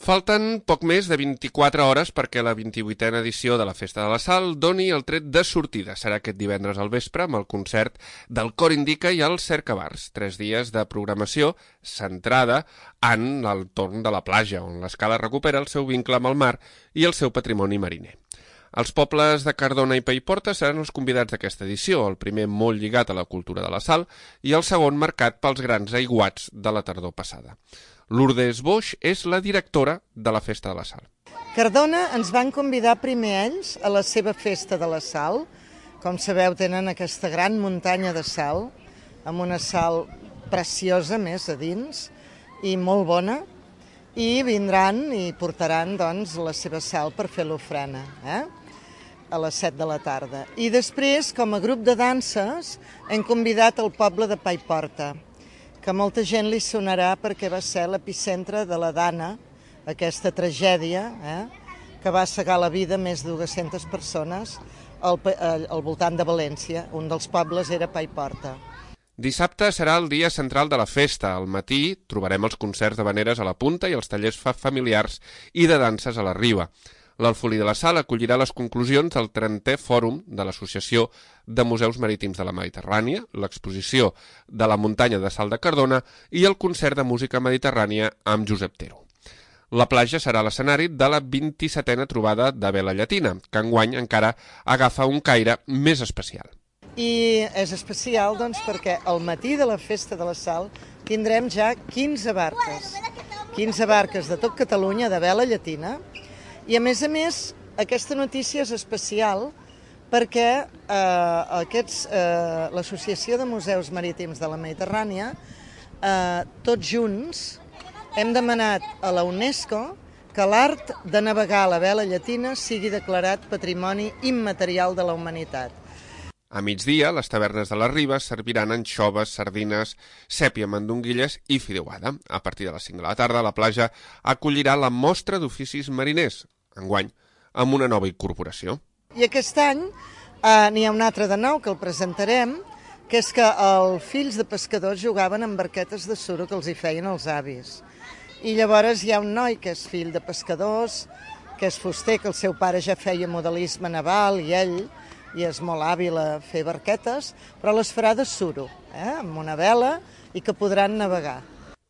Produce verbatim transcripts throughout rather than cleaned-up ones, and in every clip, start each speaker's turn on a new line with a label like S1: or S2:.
S1: Falten poc més de vint-i-quatre hores perquè la vint-i-vuitena edició de la Festa de la Sal doni el tret de sortida. Serà aquest divendres al vespre amb el concert del Cor Indica i el Cercavars. Tres dies de programació centrada en el torn de la platja, on l'Escala recupera el seu vincle amb el mar i el seu patrimoni mariner. Els pobles de Cardona i Paiporta seran els convidats d'aquesta edició, el primer molt lligat a la cultura de la sal i el segon marcat pels grans aiguats de la tardor passada. Lourdes Boix és la directora de la Festa de la Sal.
S2: Cardona ens van convidar primer ells a la seva Festa de la Sal. Com sabeu, tenen aquesta gran muntanya de sal, amb una sal preciosa més a dins i molt bona, i vindran i portaran doncs, la seva sal per fer l'ofrena, eh? a les set de la tarda. I després, com a grup de danses, hem convidat el poble de Paiporta, que molta gent li sonarà perquè va ser l'epicentre de la Dana, aquesta tragèdia, eh, que va cegar la vida més de dues-centes persones al, al, al voltant de València. Un dels pobles era Paiporta.
S1: Dissabte serà el dia central de la festa. Al matí trobarem els concerts d'havaneres a la punta i els tallers familiars i de danses a la riba. L'Alfolí de la Sal acollirà les conclusions del trentè Fòrum de l'Associació de Museus Marítims de la Mediterrània, l'exposició de la muntanya de sal de Cardona i el concert de música mediterrània amb Josep Tero. La platja serà l'escenari de la vint-i-setena trobada de vela llatina, que enguany encara agafa un caire més especial.
S2: I és especial doncs, perquè al matí de la Festa de la Sal tindrem ja quinze barques, quinze barques de tot Catalunya de vela llatina. I a més a més, aquesta notícia és especial perquè eh, aquests, eh, l'Associació de Museus Marítims de la Mediterrània, eh, tots junts, hem demanat a la UNESCO que l'art de navegar a la vela llatina sigui declarat Patrimoni Immaterial de la Humanitat.
S1: A migdia, les tavernes de les Ribes serviran anxoves, sardines, sèpia, mandonguilles i fideuada. A partir de les cinc de la tarda, la platja acollirà la mostra d'oficis mariners, enguany, amb una nova incorporació.
S2: I aquest any eh, n'hi ha un altre de nou que el presentarem, que és que els fills de pescadors jugaven amb barquetes de suro que els hi feien els avis. I llavors hi ha un noi que és fill de pescadors, que és fuster, que el seu pare ja feia modelisme naval i ell i és molt hàbil a fer barquetes, però les farà de suro, eh, amb una vela i que podran navegar.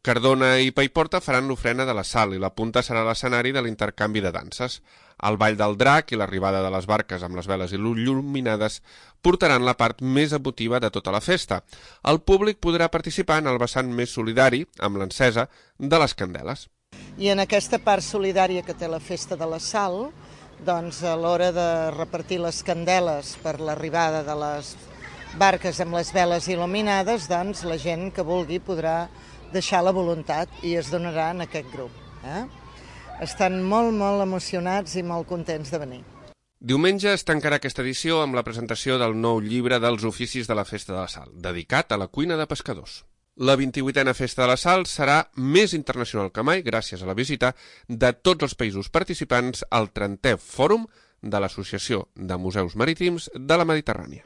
S1: Cardona i Paiporta faran l'ofrena de la sal i la punta serà l'escenari de l'intercanvi de danses. El ball del drac i l'arribada de les barques amb les veles il·luminades portaran la part més emotiva de tota la festa. El públic podrà participar en el vessant més solidari amb l'encesa de les candeles.
S2: I en aquesta part solidària que té la Festa de la Sal, doncs a l'hora de repartir les candeles per l'arribada de les barques amb les veles il·luminades, doncs la gent que vulgui podrà deixar la voluntat i es donarà en aquest grup. Eh? Estan molt, molt emocionats i molt contents de venir.
S1: Diumenge es tancarà aquesta edició amb la presentació del nou llibre dels oficis de la Festa de la Sal, dedicat a la cuina de pescadors. La vint-i-vuitena Festa de la Sal serà més internacional que mai gràcies a la visita de tots els països participants al trentè Fòrum de l'Associació de Museus Marítims de la Mediterrània.